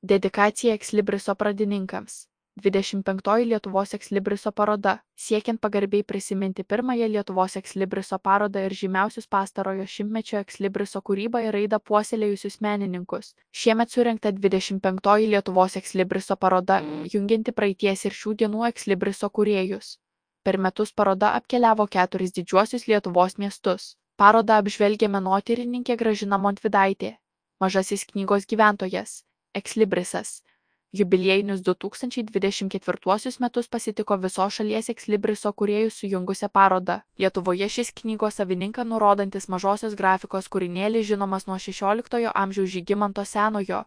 Dedikacija Ekslibriso pradininkams. 25 Lietuvos Ekslibriso paroda, siekiant pagarbiai prisiminti pirmąją Lietuvos Ekslibriso parodą ir žymiausius pastarojo šimtmečio Ekslibriso kūrybą ir raidą puoselėjusius menininkus. Šiemet surengta 25 Lietuvos Ekslibriso paroda, jungianti praeities ir šių dienų Ekslibriso kūrėjus. Per metus paroda apkeliavo 4 didžiuosius Lietuvos miestus. Parodą apžvelgė menotyrininkė Gražina Montvydaitė, mažasis knygos gyventojas, Ekslibrisas. Jubiliejinius 2024 metus pasitiko visos šalies Ekslibriso kūrėjus sujungusią parodą. Lietuvoje šis knygos savininką nurodantis mažosios grafikos kūrinėlis žinomas nuo 16 amžiaus Žygimanto Senojo,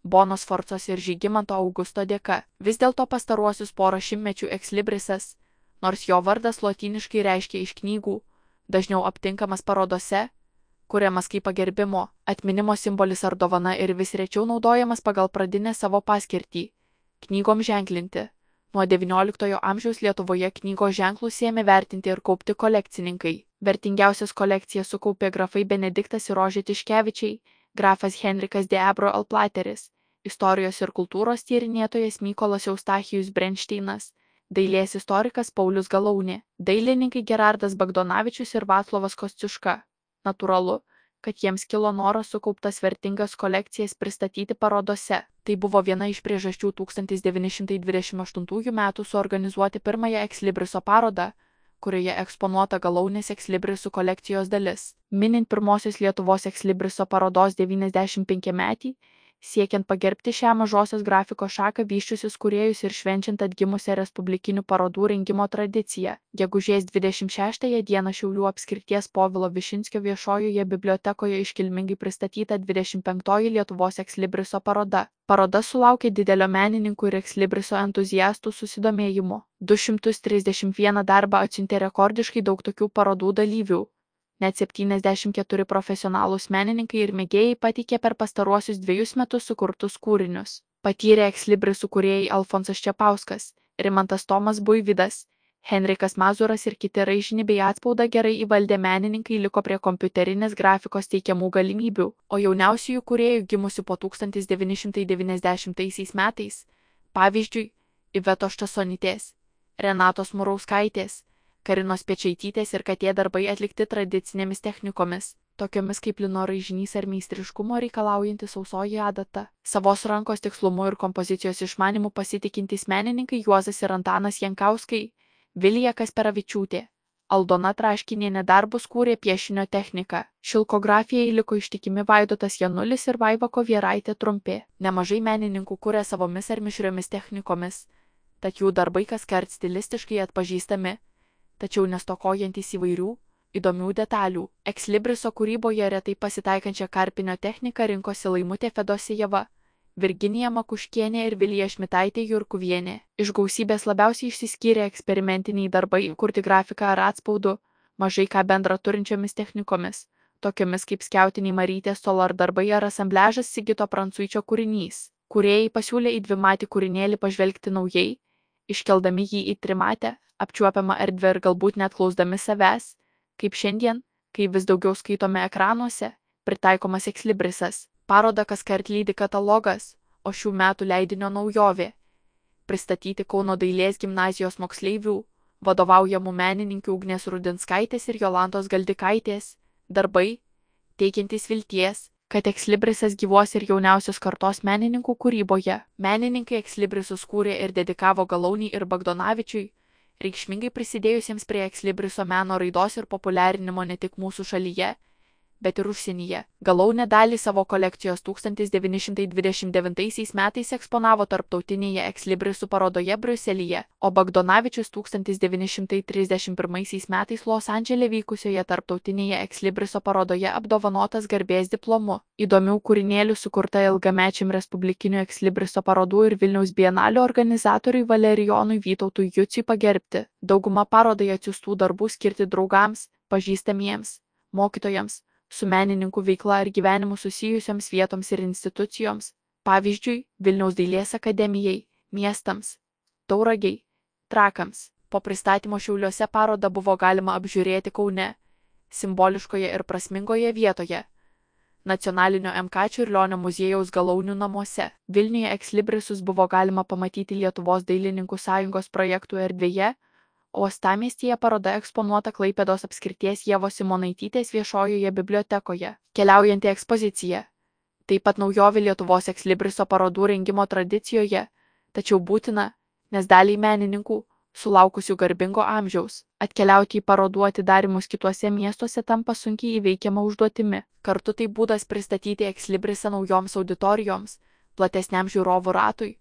Bonos Sforcos ir Žygimanto Augusto dėka. Vis dėlto pastaruosius porą šimtmečių Ekslibrisas, nors jo vardas lotyniškai reiškia iš knygų, dažniau aptinkamas parodose, kuriamas kaip pagerbimo, atminimo simbolis ar dovana ir vis rečiau naudojamas pagal pradinę savo paskirtį – knygom ženklinti. Nuo XIX amžiaus Lietuvoje knygos ženklus ėmė vertinti ir kaupti kolekcininkai. Vertingiausias kolekcijas sukaupė grafai Benediktas ir Rožė Tiškevičiai, grafas Henrikas de Ebro Alplateris, istorijos ir kultūros tyrinėtojas Mykolas Eustachijus Brenšteinas, dailės istorikas Paulius Galaunė, dailininkai Gerardas Bagdonavičius ir Vaclovas Kosciuška. Natūralu, kad jiems kilo noras sukauptas vertingas kolekcijas pristatyti parodose. Tai buvo viena iš priežasčių 1928 metų suorganizuoti pirmąją Ekslibriso parodą, kurioje eksponuota Galaunės Ekslibrisų kolekcijos dalis. Minint pirmosios Lietuvos Ekslibriso parodos 95-metį, siekiant pagerbti šią mažosios grafikos šaką vysčiusius kūrėjus ir švenčiant atgimusią respublikinių parodų rengimo tradiciją. Gegužės 26 dieną Šiaulių apskrities Povilo Višinskio viešojoje bibliotekoje iškilmingai pristatyta 25 Lietuvos Ekslibriso paroda. Paroda sulaukė didelio menininkų ir Ekslibriso entuziastų susidomėjimo. 231 darbą atsiuntė rekordiškai daug tokių parodų dalyvių. Net 74 profesionalūs menininkai ir mėgėjai pateikė per pastaruosius 2 metus sukurtus kūrinius. Patyrė Ekslibrisų kūrėjai Alfonsas Čepauskas, Rimantas Tomas Buivydas, Henrikas Mazuras ir kiti raižinį bei atspaudą gerai įvaldę menininkai liko prie kompiuterinės grafikos teikiamų galimybių, o jauniausiųjų kūrėjų gimusių po 1990 metais, pavyzdžiui, Ivetos Štasonytės, Renatos Murauskaitės, Karinos Pečaitytės ir Katė darbai atlikti tradicinėmis technikomis, tokiomis kaip lino raižinys ar meistriškumo reikalaujanti sausoji adata. Savos rankos tikslumu ir kompozicijos išmanimu pasitikintys menininkai Juozas ir Antanas Jankauskai, Vilija Kasperavičiūtė, Aldona Traškinienė darbus kūrė piešinio techniką. Šilkografijai liko ištikimi Vaidotas Janulis ir Vaiva Kovieraitė Trumpė. Nemažai menininkų kūrė savomis ar mišriomis technikomis, tad jų darbai kaskart stilistiškai atpažįstami, tačiau nestokojantys įvairių, įdomių detalių. Ekslibriso kūryboje retai pasitaikančią karpinio techniką rinkosi Laimutė Fedosijeva, Virginija Makuškienė ir Vilija Šmitaitė Jurkuvienė. Iš gausybės labiausiai išsiskyrė eksperimentiniai darbai kurti grafiką ar atspaudu, mažai ką bendra turinčiomis technikomis, tokiomis kaip skiautiniai Marytės Solar darbai ar asambliažas Sigito Prancuičio kūrinys. Kūrėjai pasiūlė į dvimatį kūrinėlį pažvelgti naujai, iškeldami jį į trimatę, apčiuopiamą erdvę ir galbūt net klausdami savęs, kaip šiandien, kai vis daugiau skaitome ekranuose, pritaikomas Ekslibrisas. Parodą kaskart lydi katalogas, o šių metų leidinio naujovė – pristatyti Kauno dailės gimnazijos moksleivių, vadovaujamų menininkių Ugnės Rudinskaitės ir Jolantos Galdikaitės, darbai, teikiantys vilties, kad Ekslibrisas gyvuos ir jauniausios kartos menininkų kūryboje. Menininkai Ekslibrisus kūrė ir dedikavo Galauniui ir Bagdonavičiui, reikšmingai prisidėjusiems prie Ekslibriso meno raidos ir populiarinimo ne tik mūsų šalyje, bet ir užsienyje. Galaunė dalį savo kolekcijos 1929 metais eksponavo tarptautinėje Ekslibrisų parodoje Briuselyje, o Bagdonavičius 1931 metais Los Andžele vykusioje tarptautinėje Ekslibriso parodoje apdovanotas garbės diplomu. Įdomių kūrinėlių sukurta ilgamečiam Respublikinių Ekslibriso parodų ir Vilniaus bienalių organizatoriui Valerijonui Vytautui Juciui pagerbti. Dauguma parodai atsiųstų darbų skirti draugams, pažįstamiems, mokytojams, su menininkų veikla ar gyvenimu susijusioms vietoms ir institucijoms, pavyzdžiui, Vilniaus dailės akademijai, miestams, Tauragei, Trakams. Po pristatymo Šiauliuose parodą buvo galima apžiūrėti Kaune, simboliškoje ir prasmingoje vietoje, Nacionalinio MK Čiurlionio muziejaus Galaunių namuose. Vilniuje Exlibrisus buvo galima pamatyti Lietuvos dailininkų sąjungos projektų erdvėje, o uostamiestyje paroda eksponuota Klaipėdos apskrities Ievos Simonaitytės viešojoje bibliotekoje. Keliaujanti ekspozicija. Taip pat naujovė Lietuvos Exlibriso parodų rengimo tradicijoje, tačiau būtina, nes daliai menininkų, sulaukusių garbingo amžiaus, atkeliauti į parodų atidarymus kituose miestuose tampa sunkiai įveikiama užduotimi. Kartu tai būdas pristatyti Exlibrisą naujoms auditorijoms, platesniam žiūrovų ratui,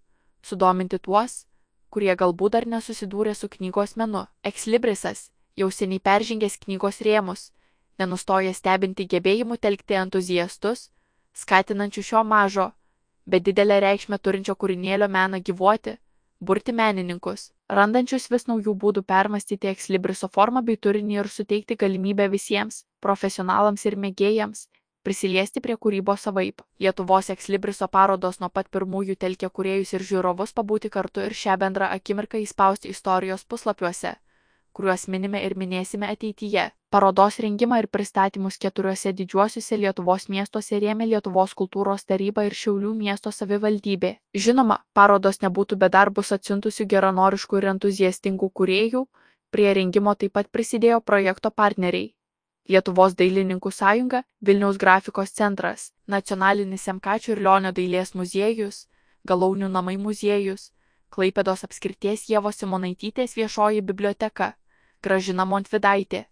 sudominti tuos, kurie galbūt dar nesusidūrė su knygos menu. Exlibrisas, jau seniai peržengęs knygos rėmus, nenustoja stebinti gebėjimų telkti entuziastus, skatinančių šio mažo, bet didelę reikšmę turinčio kūrinėlio meną gyvuoti, burti menininkus, randančius vis naujų būdų permastyti Exlibriso formą bei turinį ir suteikti galimybę visiems, profesionalams ir mėgėjams, prisiliesti prie kūrybos savaip. Lietuvos Exlibriso parodos nuo pat pirmųjų telkė kūrėjus ir žiūrovus pabūti kartu ir šią bendrą akimirką įspausti istorijos puslapiuose, kuriuos minime ir minėsime ateityje. Parodos rengimą ir pristatymus 4 didžiuosiuose Lietuvos miestuose rėmė Lietuvos kultūros taryba ir Šiaulių miesto savivaldybė. Žinoma, parodos nebūtų be darbus atsiuntusių geranoriškų ir entuziastingų kūrėjų, prie rengimo taip pat prisidėjo projekto partneriai. Lietuvos dailininkų sąjunga, Vilniaus grafikos centras, Nacionalinis MK Čiurlionio dailės muziejus, Galaunių namai muziejus, Klaipėdos apskrities Ievos Simonaitytės viešoji biblioteka, Gražina Montvydaitė.